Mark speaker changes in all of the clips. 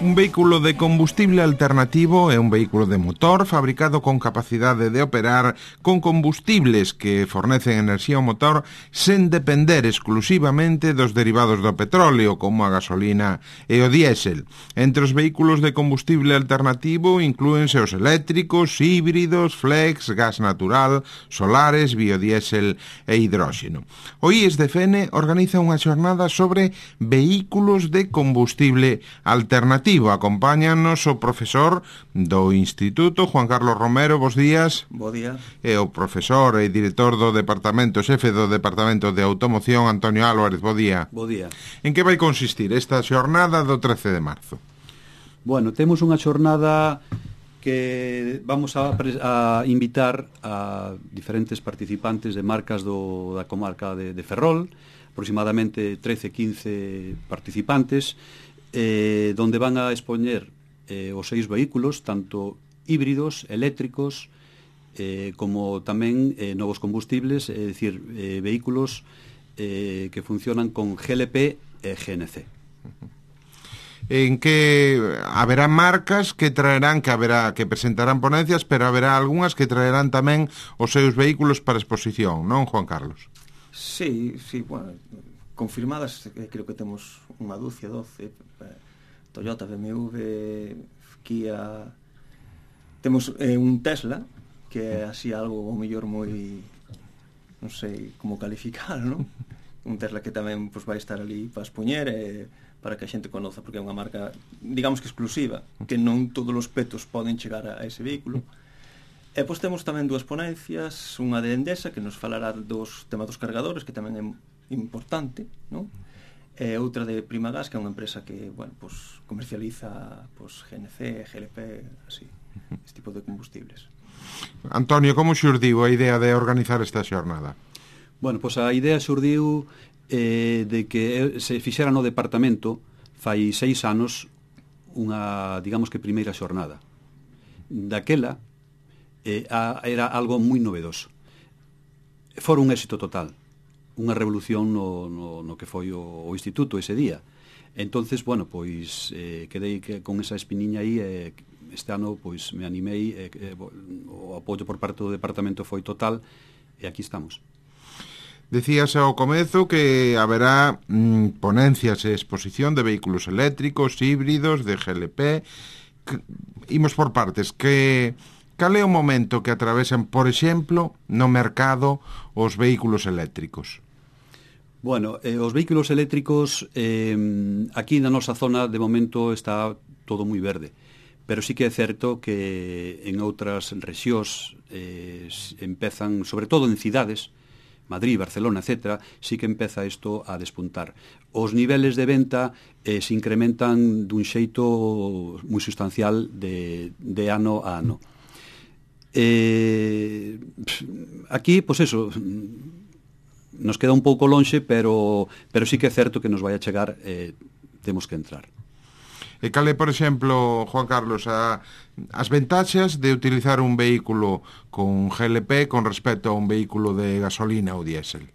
Speaker 1: Un vehículo de combustible alternativo é un vehículo de motor fabricado con capacidade de operar con combustibles que fornecen enerxía ao motor sen depender exclusivamente dos derivados do petróleo, como a gasolina e o diésel. Entre os vehículos de combustible alternativo inclúense os eléctricos, híbridos, flex, gas natural, solares, biodiésel e hidróxeno. O IESDFN organiza unha xornada sobre vehículos de combustible alternativo. Acompáñanos o profesor do Instituto, Juan Carlos Romero, bos días.
Speaker 2: Bo día.
Speaker 1: E o profesor e director do departamento, xefe do departamento de automoción, Antonio Álvarez, bo día.
Speaker 2: Bo día.
Speaker 1: En que vai consistir esta xornada do 13 de marzo?
Speaker 2: Bueno, temos unha xornada que vamos a invitar a diferentes participantes de marcas da comarca de Ferrol, aproximadamente 13-15 participantes, donde van a expoñer os 6 vehículos, tanto híbridos, eléctricos, como tamén novos combustibles, é dicir, vehículos que funcionan con GLP e GNC.
Speaker 1: En que haberá marcas que traerán, que presentarán ponencias, pero haberá algunhas que traerán tamén os seus vehículos para exposición, non, Juan Carlos?
Speaker 3: Sí, bueno, confirmadas, creo que temos unha dúcia, 12, Toyota, BMW, Kia. Temos un Tesla, que é así algo, o mellor, moi, non sei como calificar, non? Un Tesla que tamén vai estar ali para expoñer, para que a xente conoza, porque é unha marca, digamos que exclusiva, que non todos os petos poden chegar a ese vehículo. E pois temos tamén dúas ponencias, unha de Endesa, que nos falará dos temas dos cargadores, que tamén é importante, non? E outra de Primagas, que é unha empresa que, bueno, pues comercializa GNC, GLP, así, este tipo de combustibles.
Speaker 1: Antonio, como xurdiu a idea de organizar esta xornada?
Speaker 2: Bueno, pois a idea xurdiu de que se fixera no departamento fai 6 anos unha, digamos que, primeira xornada. Daquela era algo moi novedoso. Fora un éxito total, unha revolución no que foi o instituto ese día. Entonces, bueno, pois quedei con esa espiniña aí, este ano pois me animei, o apoio por parte do departamento foi total, e aquí estamos.
Speaker 1: Decías ao comezo que haberá ponencias e exposición de vehículos eléctricos, híbridos, de GLP. Imos por partes. Cal é o momento que atravesan, por exemplo, no mercado os vehículos eléctricos?
Speaker 2: Bueno, os vehículos eléctricos aquí na nosa zona de momento está todo moi verde, pero sí que é certo que en outras rexións empezan, sobre todo en cidades, Madrid, Barcelona, etc., sí que empeza isto a despuntar. Os niveles de venta se incrementan dun xeito moi sustancial de ano a ano. Aquí, pois eso, nos queda un pouco lonxe, pero sí que é certo que nos vai a chegar, temos que entrar.
Speaker 1: E cal é, por exemplo, Juan Carlos, as ventaxas de utilizar un vehículo con GLP con respecto a un vehículo de gasolina ou diésel?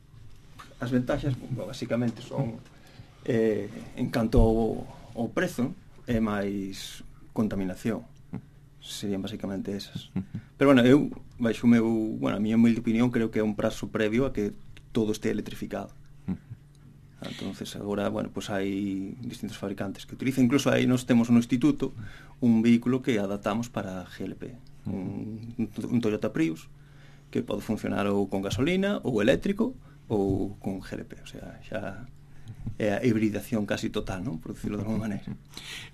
Speaker 3: As ventaxas, basicamente, son en canto ao prezo e máis contaminación. Serían basicamente esas. Pero, bueno, a miña humilde opinión, creo que é un prazo previo a que todo este electrificado. Entonces agora, bueno, pues hai distintos fabricantes que utilizan, incluso aí nos temos no instituto un vehículo que adaptamos para GLP, un Toyota Prius que pode funcionar ou con gasolina ou eléctrico ou con GLP, o sea, xa é a hibridación casi total, non? Por decirlo de alguma maneira.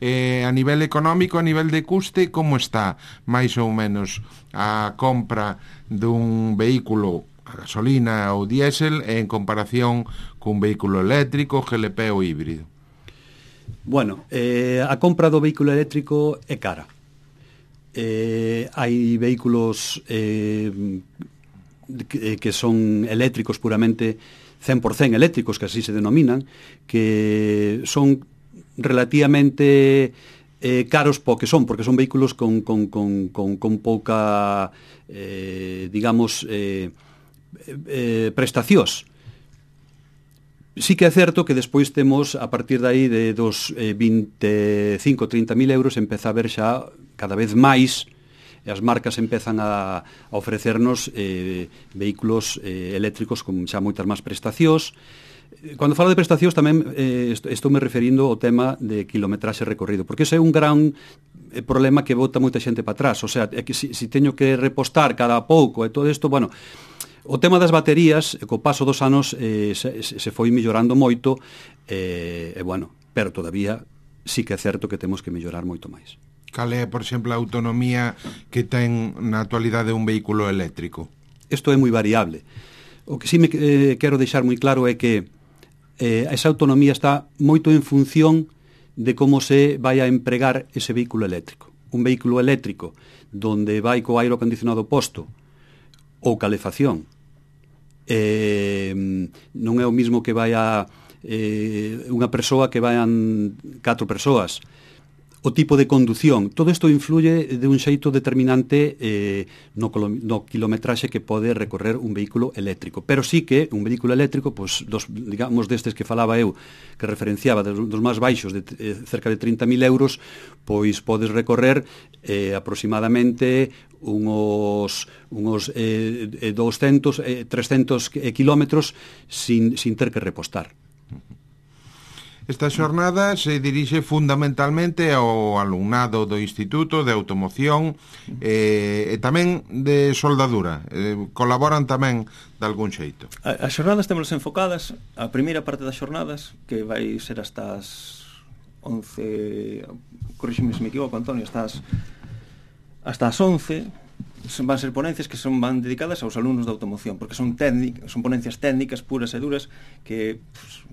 Speaker 1: A nivel económico, a nivel de custe, como está máis ou menos a compra dun vehículo a gasolina ou diésel en comparación cun vehículo eléctrico, GLP ou híbrido?
Speaker 2: Bueno, a compra do vehículo eléctrico é cara. Hai vehículos que son eléctricos puramente 100% eléctricos, que así se denominan, que son relativamente caros porque son vehículos con pouca, digamos, prestacións. Sí que é certo que despois temos, a partir de aí, de dos 25-30.000 euros, empeza a ver xa cada vez máis, e as marcas empezan a ofrecernos vehículos eléctricos con xa moitas máis prestacións. Cando falo de prestacións tamén estou me referindo ao tema de kilometraxe recorrido, porque ese é un gran problema que bota moita xente para atrás. O sea, é que si teño que repostar cada pouco e todo isto, bueno, o tema das baterías, co paso dos anos se foi mellorando moito, bueno, pero todavía sí que é certo que temos que mellorar moito máis.
Speaker 1: Cal é, por exemplo, a autonomía que ten na actualidade un vehículo eléctrico?
Speaker 2: Isto é moi variable. O que sí me quero deixar moi claro é que esa autonomía está moito en función de como se vai a empregar ese vehículo eléctrico. Un vehículo eléctrico donde vai co aire acondicionado posto ou calefacción non é o mismo que vai a unha persoa que vayan 4 persoas. O tipo de condución, todo isto influye de un xeito determinante no kilometraxe que pode recorrer un vehículo eléctrico. Pero sí que un vehículo eléctrico, pues, digamos destes que falaba eu, que referenciaba dos máis baixos, de cerca de 30.000 euros, pois podes recorrer aproximadamente unos 200, 300 kilómetros sin ter que repostar.
Speaker 1: Esta xornada se dirixe fundamentalmente ao alumnado do Instituto de Automoción e tamén de soldadura. Colaboran tamén de algún xeito.
Speaker 3: As xornadas temos enfocadas, a primeira parte das xornadas, que vai ser hasta as 11, corríxeme se me equivoco, Antonio, hasta as 11, van ser ponencias que van dedicadas aos alumnos de automoción, porque son ponencias técnicas puras e duras que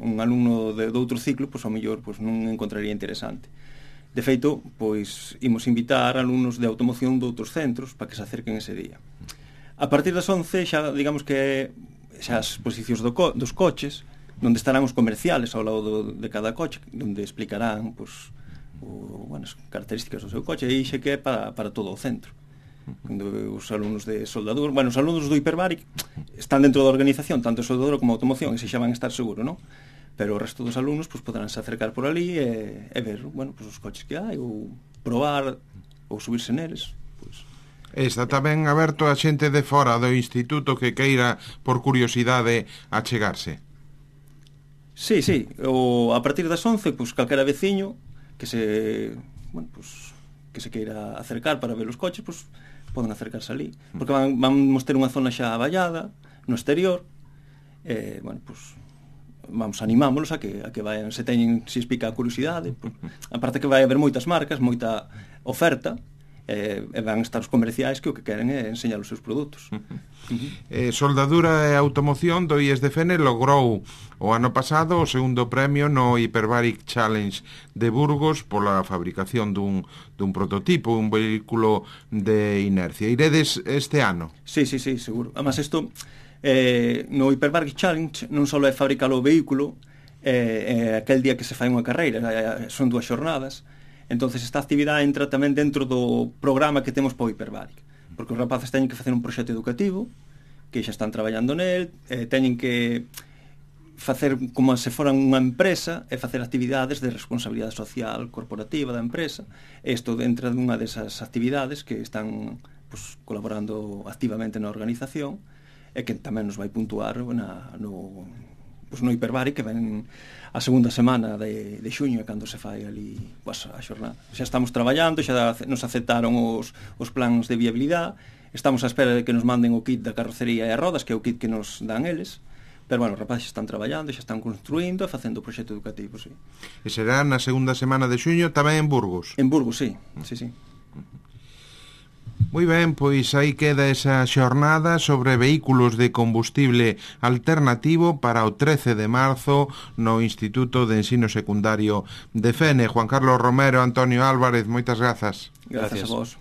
Speaker 3: un alumno de outro ciclo, ao mellor non encontraría interesante. De feito, imos invitar alumnos de automoción de outros centros para que se acerquen ese día. A partir das 11, xa digamos que xa as exposicións dos coches, onde estarán os comerciales ao lado de cada coche, onde explicarán as características do seu coche, e xa que é para todo o centro. Os alumnos de soldadura, os alumnos do Hiperbaric están dentro da organización, tanto soldadura como automoción, e se xa van a estar seguro, non? Pero o resto dos alumnos poderánse acercar por ali e ver, os coches que hai, ou probar, ou subirse neles.
Speaker 1: Está tamén aberto a xente de fora do instituto que queira, por curiosidade, achegarse.
Speaker 3: Sí, a partir das 11, calquera veciño que se queira acercar para ver os coches, poden acercarse ali, porque vamos ter unha zona xa vallada no exterior, vamos animámolos a que vayan, se explica a curiosidade, aparte que vai haber moitas marcas, moita oferta, e van estar os comerciais que o que queren é enseñar os seus produtos.
Speaker 1: Soldadura e automoción do IESDFN logrou o ano pasado o segundo premio no Hyperbaric Challenge de Burgos pola fabricación dun prototipo, un vehículo de inercia. Iredes este ano?
Speaker 3: Sí, seguro. Además, isto no Hyperbaric Challenge non só é fabricar o vehículo aquel día que se fai unha carreira, son 2 xornadas. Entonces esta actividade entra tamén dentro do programa que temos para o Hyperbaric, porque os rapaces teñen que facer un proxecto educativo, que xa están traballando nel, teñen que facer como se foran unha empresa e facer actividades de responsabilidade social corporativa da empresa. Isto entra dunha desas actividades que están colaborando activamente na organización e que tamén nos vai puntuar no Hyperbaric, que ven a segunda semana de xuño, cando se fai ali a xornada. Xa estamos traballando, xa nos aceptaron os plans de viabilidade, estamos á espera de que nos manden o kit da carrocería e as rodas, que é o kit que nos dan eles, pero os rapaces están traballando, xa están construindo e facendo o proxecto educativo, sí.
Speaker 1: E será na segunda semana de xuño tamén en Burgos?
Speaker 3: En Burgos, sí.
Speaker 1: Moi ben, pois aí queda esa xornada sobre vehículos de combustible alternativo para o 13 de marzo no Instituto de Ensino Secundario de Fene. Juan Carlos Romero, Antonio Álvarez, moitas grazas.
Speaker 3: Gracias a vos.